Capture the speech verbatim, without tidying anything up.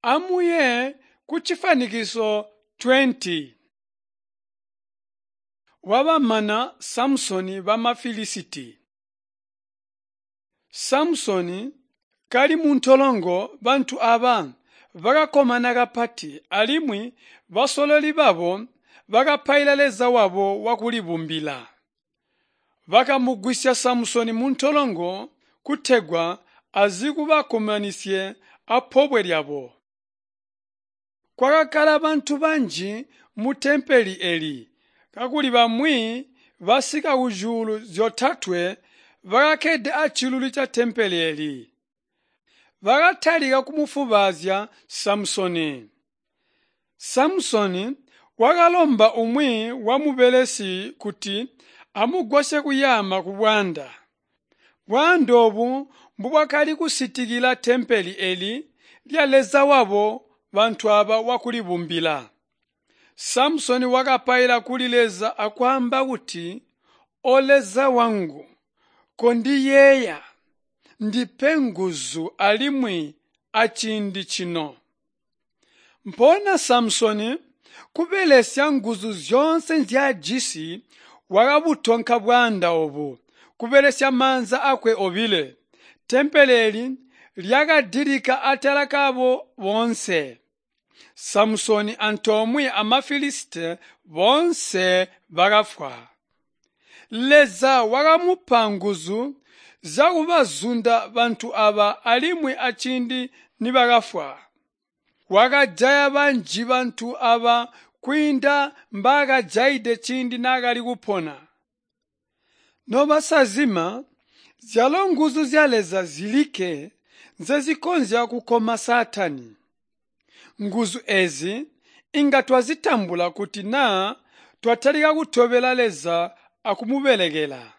Amuye kucifwanikiso twenty. Wabamana Samusoni bama Filisiti. Samusoni kali muntolongo bantu aaba bakakkomana kapati alimwi basololi babo bakapaila Leza wabo wakulibumbila. Bakamugwisya Samusoni muntolongo kutegwa azikubakkomanisye apobwe lyabo. Kwakakkala bantu banji mutempele eeli, kakuli bamwi basika kuzyuulu zyotatwe bakakkede aciluli catempele eeli. Bakatalika kumufwubaazya Samusoni. Samusoni wakalomba umwi wamubelesi kuti amugwasye kuyaama kubwaanda. Bwaanda oobu mbubwakali kusitikila tempele eeli lya Leza wabo bantu aaba wakulibumbila. Samusoni wakapaila kuli Leza akwaamba kuti, “O Leza wangu, kondiyeeya, ndipe nguzu alimwi aciindi cino.” Mpoonya Samusoni kubelesya nguzu zyoonse nzyaajisi wakabutonka bwaanda oobu kubelesya maanza aakwe obile. Tempele eeli lyakadilika atala kabo boonse. Samusoni antoomwe ama Filisiti boonse bakafwa. Leza wakamupa nguzu zyakubazunda bantu aaba alimwi aciindi nibakafwa. Wakajaya banji bantu aaba kwiinda mbaakajayide ciindi naakali kupona. Nobasazima, zyalo nguzu zya Leza zilikke nzezikonzya kukoma Saatani. Nguzu eezi inga twazitambula kuti naa twatalika kutobela Leza akumubelekela.